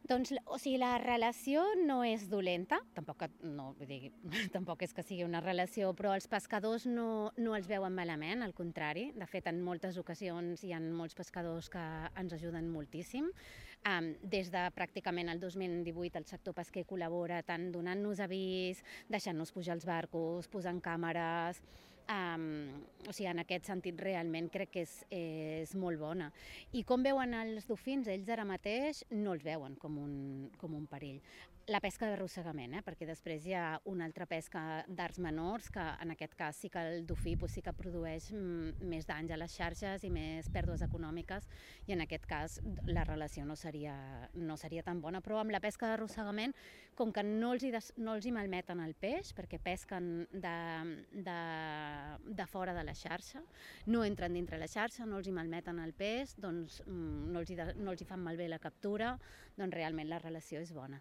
Doncs, o sigui, la relació no és dolenta, tampoc, no, vull dir, tampoc és que sigui una relació, però els pescadors no els veuen malament, al contrari. De fet, en moltes ocasions hi ha molts pescadors que ens ajuden moltíssim. Des de pràcticament el 2018 el sector pesquer col·labora tant donant-nos avís, deixant-nos pujar als barcos, posant càmeres. O sigui, en aquest sentit realment crec que és molt bona. I com veuen els dofins? Ells ara mateix no els veuen com un perill. La pesca d'arrossegament, perquè després hi ha una altra pesca d'arts menors, que en aquest cas sí que el dofí sí que produeix més danys a les xarxes i més pèrdues econòmiques, i en aquest cas la relació no seria tan bona. Però amb la pesca d'arrossegament, com que no els hi malmeten el peix, perquè pesquen de fora de la xarxa, no entren dintre la xarxa, no els hi malmeten el peix, doncs no els hi fan malbé la captura, doncs realment la relació és bona.